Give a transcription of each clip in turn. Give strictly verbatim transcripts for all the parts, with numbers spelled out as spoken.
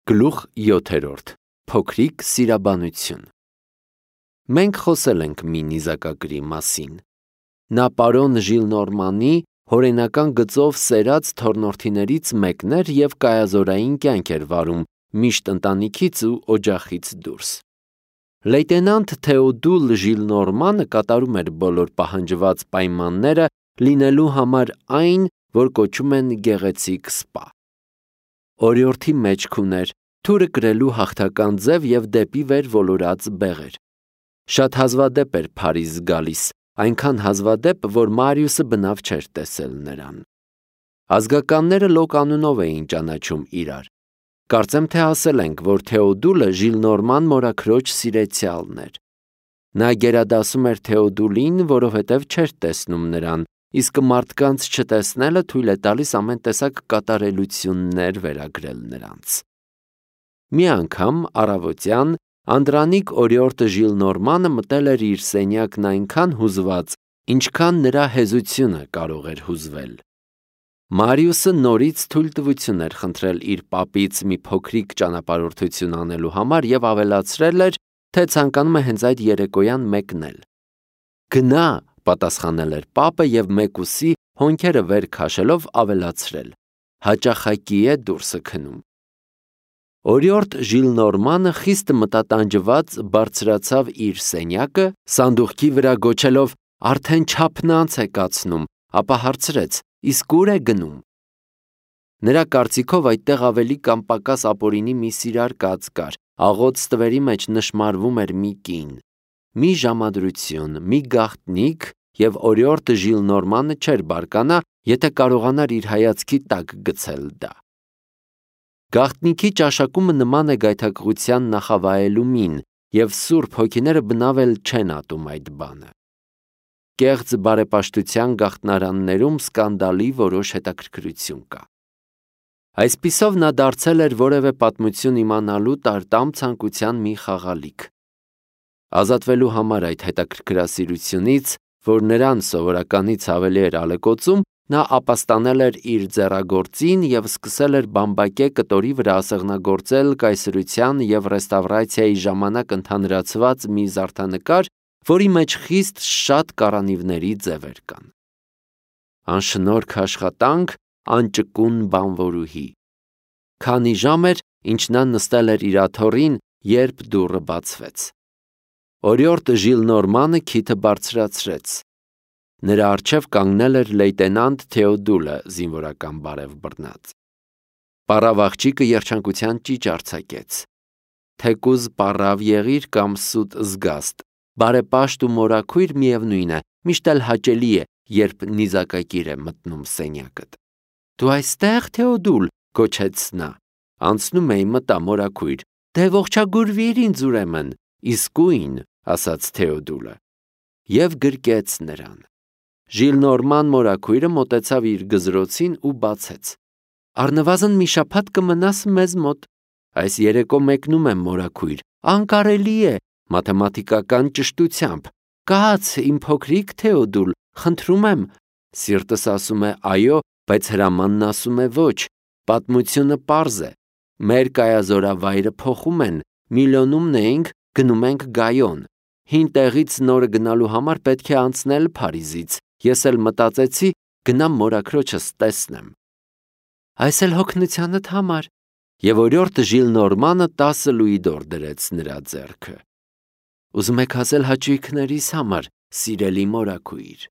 Գլուխ յոթերորդ. Փոքրիկ սիրաբանություն։ Մենք խոսել ենք մի նիզակագրի մասին։ Նա պարոն Ժիլնորմանի հորենական գծով սերած թոռնորդիներից մեկն էր և կայազորային կյանք էր վարում միշտ ընտանիքից ու օջախից դուրս։ Լեյտենանտ Թեոդուլ Ժիլնորմանը կատարում էր բոլոր պահանջված պայմանները լինելու համար այն, որ կոչում են գեղեցիկ սպա։ Օրիորդի մեջք ուներ, թուրը կրելու հաղթական ձև և դեպի վեր ոլորած բեղեր։ Շատ հազվադեպ էր Փարիզ գալիս, այնքան հազվադեպ, որ Մարիուսը բնավ չէր տեսել նրան։ Ազգականները Լոկ անունով էին ճանաչում իրար։ Կարծեմ թե ասել ենք, որ Թեոդուլը Ժիլնորման մորաքրոջ սիրեցյալն էր։ Նա գերադասում էր Թեոդուլին, որովհետև չէր տեսնում նրան, իսկ մարդկանց չտեսնելը թույլ է տալիս ամեն տեսակ կատարելություններ վերագրել նրանց։ Մի անգամ առավոտյան Անդրանիկ օրիորդը Ժիլնորմանը մտել էր իր սենյակն այնքան հուզված, ինչքան նրա հեզությունը կարող էր հուզվել։ Մարիուսը նորից թույլտվություն էր խնդրել իր պապից մի փոքրիկ ճանապարհորդություն անելու համար և ավելացրել էր, թե ցանկանում է հենց այդ երեկոյան մեկնել։ «Գնա», պատասխանել էր պապը և մեկուսի հոնքերը վեր քաշելով ավելացրել. «Հաճախակի է դուրսը քնում»։ Օրիորդ Ժիլնորմանը խիստ մտատանջված բարձրացավ իր սենյակը, սանդուղքի վրա գոչելով «Արդեն չափնանց է կացնում», ապա հարցրեց. «Իսկ ուր է գնում»։ Նրա կարծիքով այդտեղ ավելի կամ պակաս ապօրինի մի սիրար կաց կար, աղոտ ստվերի մեջ նշմարվում էր մի կին։ Մի ժամադրություն, մի գաղտնիք, և օրիորդ Ժիլնորմանը չէր բարկանա, եթե կարողանար իր հայացքի տակ գցել դա։ Գաղտնիքի ճաշակումը նման է գայթակղության նախավայելու մին, և սուրբ հոգիները բնավ էլ չեն ատում այդ բանը։ Կեղծ բարեպաշտության գաղտնարաններում սկանդալի որոշ հետաքրքրություն կա։ Այսպիսով նա դարձել էր որևէ պատմություն իմանալու տարտամ ցանկության մի խաղալիք։ Ազատվելու համար այդ հետաքրքրասիրությունից, որ նրան սովորականից ավելի էր ալեկոծում, նա ապաստանել էր իր ձեռագործին և սկսել էր բամբակե կտորի վրա ասեղնագործել կայսրության և ռեստավրացիայի ժամանակ ընդհանրացված մի զարդանկար, որի մեջ խիստ շատ կառանիվների ձևեր կան։ Անշնորհք աշխատանք, անճկուն բանվորուհի։ Քանի ժամ էր, ինչ նա նստել էր իր աթոռին, երբ դուռը բացվեց։ Օրիորդ Ժիլնորմանը քիթը բարձրացրեց։ Նրա առջև կանգնել էր լեյտենանտ Թեոդուլը, զինվորական բարև բռնած։ Պառավ աղջիկը երջանկության ճիչ արձակեց։ Թեկուզ պառավ եղիր կամ սուտ զգաստ, բարեպաշտ ու մորաքույր միևնույն է, միշտ էլ հաճելի է, երբ նիզակակիր է մտնում սենյակդ։ Դու այստե՞ղ, Թեոդուլ, գոչեց նա։ Անցնում էի, մտա, մորաքույր։ Դե ողջագուրվիր ինձ ուրեմն։ Իսկույն, ասաց Թեոդուլը և գրկեց նրան։ Ժիլնորման մորաքույրը մոտեցավ իր գզրոցին ու բացեց։ Առնվազն մի շաբաթ կմնաս մեզ մոտ։ Այս երեկո մեկնում եմ, մորաքույր, անկարելի է, մաթեմատիկական ճշտությամբ։ Կաց, իմ փոքրիկ Թեոդուլ, խնդրում եմ։ Սիրտս ասում է այո, բայց հրամանն ասում է ոչ։ Պատմությունը պարզ է։ Մեր կայազորավայրը փոխում են, Միլոնում էինք, գնում ենք Գայոն։ Հին տեղից նորը գնալու համար պետք է անցնել Փարիզից։ Ես էլ մտածեցի, գնամ մորաքրոջս տեսնեմ։ Այս էլ հոգնությանդ համար։ Եվ օրիորդ Ժիլնորմանը տասը լուիդոր դրեց նրա ձեռքը։ Ուզում եք ասել հաճույքներիս համար, սիրելի մորաքույր։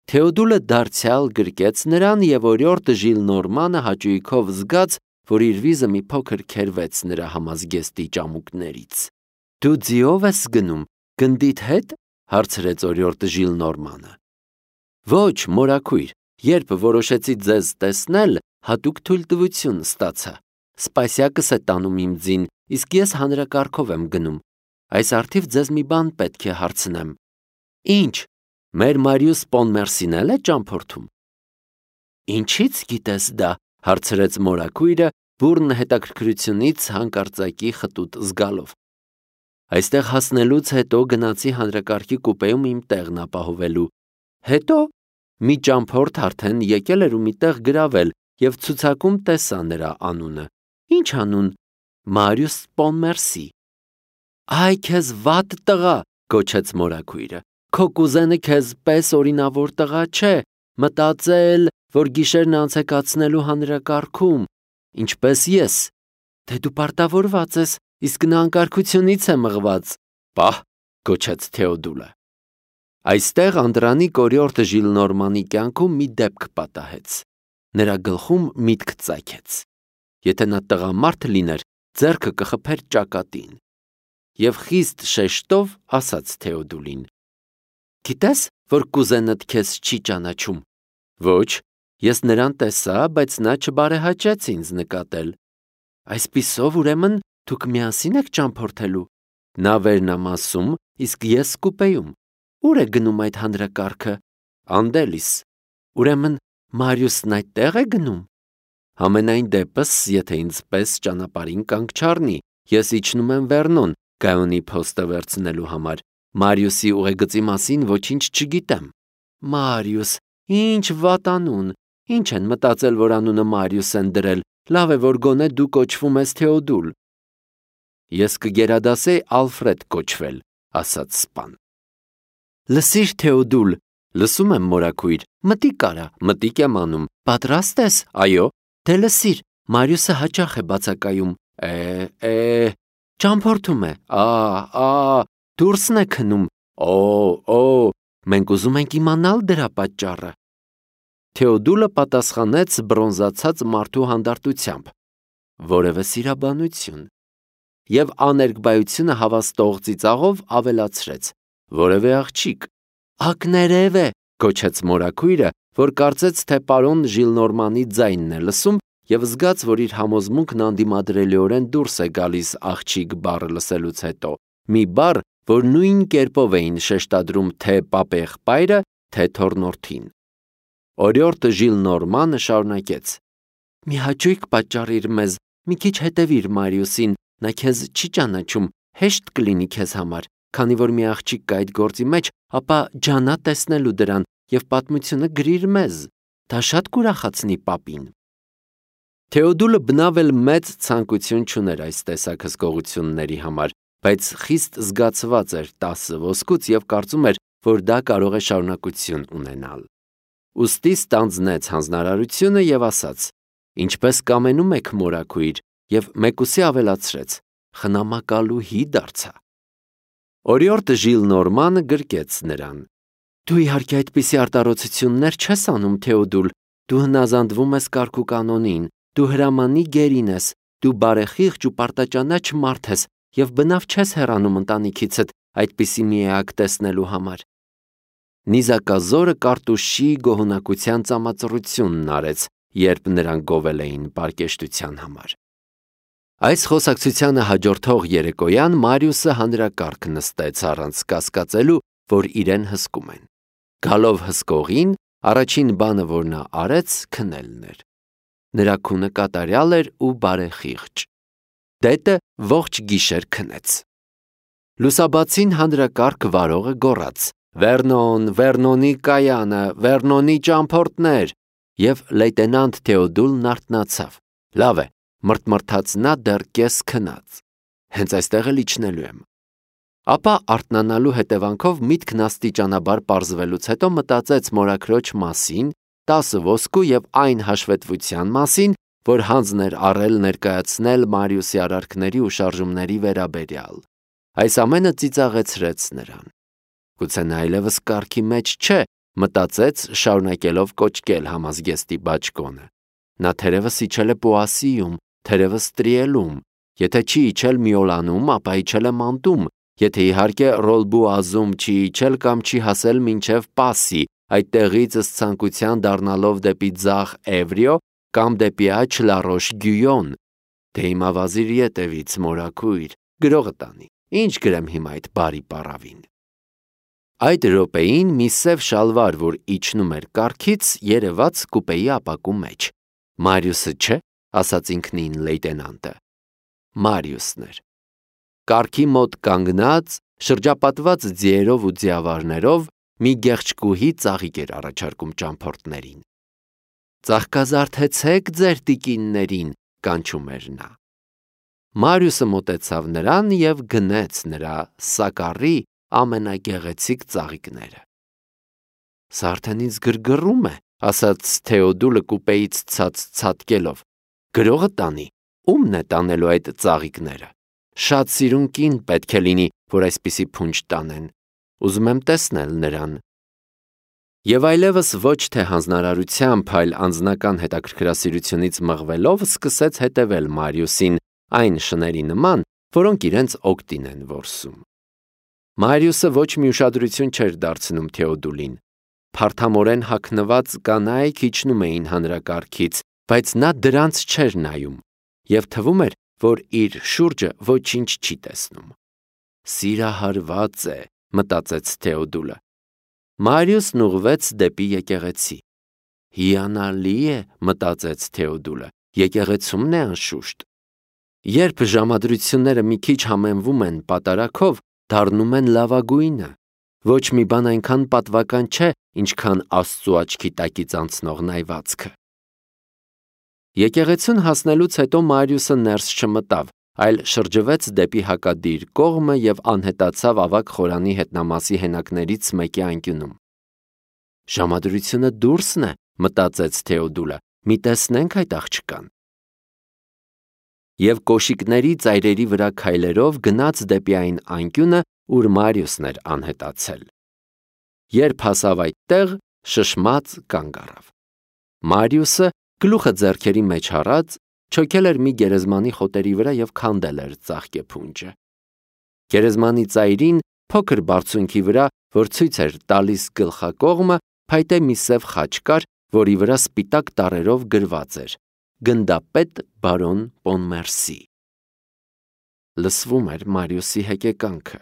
Թեոդուլը դարձյալ գրկեց նրան, և օրիորդ Ժիլնորմանը հաճույքով զգաց, որ իր վիզը մի փոքր քերվեց նրա համազգեստի ճամուկներից։ Դու ձիով ես գնում, գնդիդ հետ, հարցրեց օրիորդ Ժիլնորմանը։ Ոչ, մորաքույր, երբ որոշեցի ձեզ տեսնել, հատուկ թույլտվություն ստացա։ Սպասյակս է տանում իմ ձին, իսկ ես հանրակարգով եմ գնում։ Այս առթիվ ձեզ մի բան պետք է հարցնեմ։ Ինչ, մեր Մարիուս Պոնմերսին էլ է ճամփորդում։ Ինչից գիտես դա, հարցրեց մորաքույրը, բուռն հետաքրքրությունից հանկարծակի խտուտ զգալով։ Այստեղ հասնելուց հետո գնացի հանրակարգի կուպեում իմ տեղն ապահովելու։ Հետո մի ճամփորդ արդեն եկել էր ու մի տեղ գրավել և ցուցակում տեսա նրա անունը։ Ինչ անուն, Մարիուս Պոնմերսի։ Այ քեզ վատ տղա, գոչեց մորաքույրը, քո կուզենը քեզ պես օրինավոր տղա չէ, մտածել, որ գիշերն անց է կացնելու հանրակարգում, ինչպես ես, թե դու պարտավորված ես, իսկ նա անկարգությունից է մղված, պահ, գոչեց Թեոդուլը։ Այստեղ Անդրանիկ օրիորդ Ժիլնորմանի կյանքում մի դեպք պատահեց, նրա գլխում միտք ծագեց, եթե նա տղամարդ լիներ, ձեռքը կխփեր ճակատին, և խիստ շեշտով ասաց Թեոդուլին. գիտես, որ կուզենդ քեզ չի ճանաչում, ոչ, ես նրան տեսա, բայց նա չբարեհաճեց ինձ նկատել, այսպիսով ուրեմն դուք միասին եք ճամփորդելու, նա վերնամասում, իսկ ես կուպեում, ուր է գնում այդ հանրակարգը, Անդելիս, ուրեմն Մարիուսն այդտեղ է գնում, համենայն դեպս, եթե ինձ պես ճանապարհին կանգ չառնի, ես իջնում եմ Վերնոն, Գայոնի փոստը վերցնելու համար, Մարիուսի ուղեգծի մասին ոչինչ չգիտեմ, Մարիուս, ինչ վատանուն, ինչ են մտածել, որ անունը Մարիուս են դրել, լավ է, որ գոնե դու կոչվում ես Թեոդուլ, ես կգերադասեի Ալֆրեդ կոչվել, ասաց սպան, լսիր Թեոդուլ, լսում եմ մորաքույր, մտիկ արա, մտիկ եմ անում, պատրաստ ես, այո, դե լսիր, Մարիուսը հաճախ է բացակայում, է, է, ճամփորդում է, ա, ա, դուրսն է քնում, օ, օ, մենք ուզում ենք իմանալ դրա պատճառը։ Թեոդուլը պատասխանեց բրոնզացած մարդու հանդարտությամբ, որևէ սիրաբանություն, և աներկբայությունը հավաստող ծիծաղով ավելացրեց, որևէ աղջիկ, ակներև է, գոչեց մորաքույրը, որ կարծեց, թե պարոն Ժիլնորմանի ձայնն է լսում և զգաց, որ իր համոզմունքն անդիմադրելիորեն դուրս է գալիս աղջիկ բառը լսելուց հետո, մի բառ, որ նույն կերպով էին շեշտադրում թե պապեղբայրը, թե թոռնորդին։ Օրիորդ Ժիլնորմանը շարունակեց. մի հաճույք պատճառիր մեզ, մի քիչ հետևիր Մարիուսին, նա քեզ չի ճանաչում, հեշտ կլինի քեզ համար, քանի որ մի աղջիկ կա այդ գործի մեջ, ապա ջանա տեսնելու դրան և պատմությունը գրիր մեզ, դա շատ կուրախացնի պապին։ Թեոդուլը բնավ էլ մեծ ցանկություն չուներ այս տեսակ հսկողությունների համար, բայց խիստ զգացված էր տասը ոսկուց և կարծում էր, որ դա կարող է շարունակություն ունենալ։ Ուստի ստանձնեց հանձնարարությունը և ասաց. ինչպես կամենում եք մորաքույր, և մեկուսի ավելացրեց. խնամակալուհի դարձա։ Օրիորդ Ժիլնորմանը գրկեց նրան. դու իհարկե այդպիսի արտարոցություններ չես անում, Թեոդուլ, դու հնազանդվում ես կարգ ու կանոնին, դու հրամանի գերին ես, դու բարեխիղճ ու պարտաճանաչ մարդ ես և բնավ չես հեռանում ընտանիքիցդ այդպիսի մի էակ տեսնելու համար։ Նիզակազորը Կարտուշի գոհունակության ծամածռությունն արեց, երբ նրան գովել էին պարկեշտության համար։ Այս խոսակցությանը հաջորդող երեկոյան Մարիուսը հանրակարգ նստեց առանց կասկածելու, որ իրեն հսկում են։ Գալով հսկողին, առաջին բանը, որ նա արեց, քնելն էր։ Նրա քունը կատարյալ էր ու բարեխիղճ։ Դետը ողջ գիշեր քնեց։ Լուսաբացին հանրակարգ վարողը գոռաց. Վերնոն, Վերնոնի կայանը, Վերնոնի ճամփորդներ, և լեյտենանտ Թեոդուլն արթնացավ։ Լավ է, մրթմրթաց նա դեռ կես քնած, հենց այստեղ էլ իջնելու եմ։ Ապա արթնանալու հետևանքով միտքն աստիճանաբար պարզվելուց հետո մտածեց մորաքրոջ մասին, տասը ոսկու և այն հաշվետվության մասին, որ հանձն էր առել ներկայացնել Մարիուսի արարքների ու շարժումների վերաբերյալ։ Այս ամենը ծիծաղեցրեց նրան։ Գուցե նա այլևս կարգի մեջ չէ, մտածեց, շարունակելով կոճկել համազգեստի բաճկոնը։ Նա թերևս իջել է Պոասիում, թերևս Տրիելում, եթե չի իջել Միոլանում, ապա իջել է Մանտում, եթե իհարկե Ռոլբուազում չի իջել կամ չի հասել մինչև Պասի, այդտեղից ըստ ցանկության դառնալով դեպի ձախ Էվրիո կամ դեպի աջ Լարոշ Գյույոն։ Դե հիմա վազիր ետևից, մորաքույր, գրողը տանի, ինչ գրեմ հիմա այդ բարի պառավին։ Այդ րոպեին մի սև շալվար, որ իջնում էր կառքից, երևաց կուպեի ապակու մեջ։ Մարիուսը չէ, ասաց ինքնին լեյտենանտը։ Մարիուսն էր։ Կառքի մոտ կանգնած, շրջապատված ձիերով ու ձիավարներով, մի գեղեցկուհի ծաղիկ էր առաջարկում ճամփորդներին։ Ծաղկազարդեցեք ձեր տիկիններին, կանչում էր նա։ Մարիուսը մոտեցավ նրան և գնեց նրա սակառի ամենագեղեցիկ ծաղիկները։ Սա արդեն ինձ գրգռում է, ասաց Թեոդուլը կուպեից ցած ցատկելով։ Գրողը տանի, ումն է տանելու այդ ծաղիկները։ Շատ սիրուն կին պետք է լինի, որ այսպիսի փունջ տանեն։ Ուզում եմ տեսնել նրան։ Եվ այլևս ոչ թե հանձնարարությամբ, այլ անձնական հետաքրքրասիրությունից մղվելով սկսեց հետևել Մարիուսին այն շների նման, որոնք իրենց օգտին են որսում։ Մարիուսը ոչ մի ուշադրություն չէր դարձնում Թեոդուլին։ Փարթամորեն հագնված կանայք իջնում էին հանրակարգից, բայց նա դրանց չէր նայում, և թվում էր, որ իր շուրջը ոչինչ չի տեսնում։ Սիրահարված է, մտածեց Թեոդուլը։ Մարիուսն ուղղվեց դեպի եկեղեցի։ Հիանալի է, մտածեց Թեոդուլը, եկեղեցումն է անշուշտ։ Երբ ժամադրությունները մի քիչ համեմվում են պատարագով, դառնում են լավագույնը։ Ոչ մի բան այնքան պատվական չէ, ինչքան Աստծու աչքի տակից անցնող նայվածքը։ Եկեղեցուն հասնելուց հետո Մարիուսը ներս չմտավ, այլ շրջվեց դեպի հակադիր կողմը և անհետացավ ավագ խորանի հետնամասի հենակներից մեկի անկյունում։ Ժամադրությունը դուրսն է, մտածեց Թեոդուլը, մի տեսնենք այդ աղջկան։ Եվ կոշիկների ծայրերի վրա քայլերով գնաց դեպի այն անկյունը, ուր Մարիուսն էր անհետացել։ Երբ հասավ այդտեղ, շշմած կանգ առավ։ Մարիուսը, գլուխը ձեռքերի մեջ առած, չոքել էր մի գերեզմանի խոտերի վրա և քանդել էր ծաղկե փունջը։ Գերեզմանի ծայրին, փոքր բարձունքի վրա, որ ցույց էր տալիս գլխակողմը, փայտե մի սև խաչ կար, որի վրա սպիտակ տառերով գրված էր. «Գնդապետ բարոն Պոնմերսի»։ Լսվում էր Մարիուսի հեկեկանքը։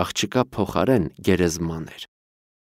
Աղջկա փոխարեն գերեզման էր։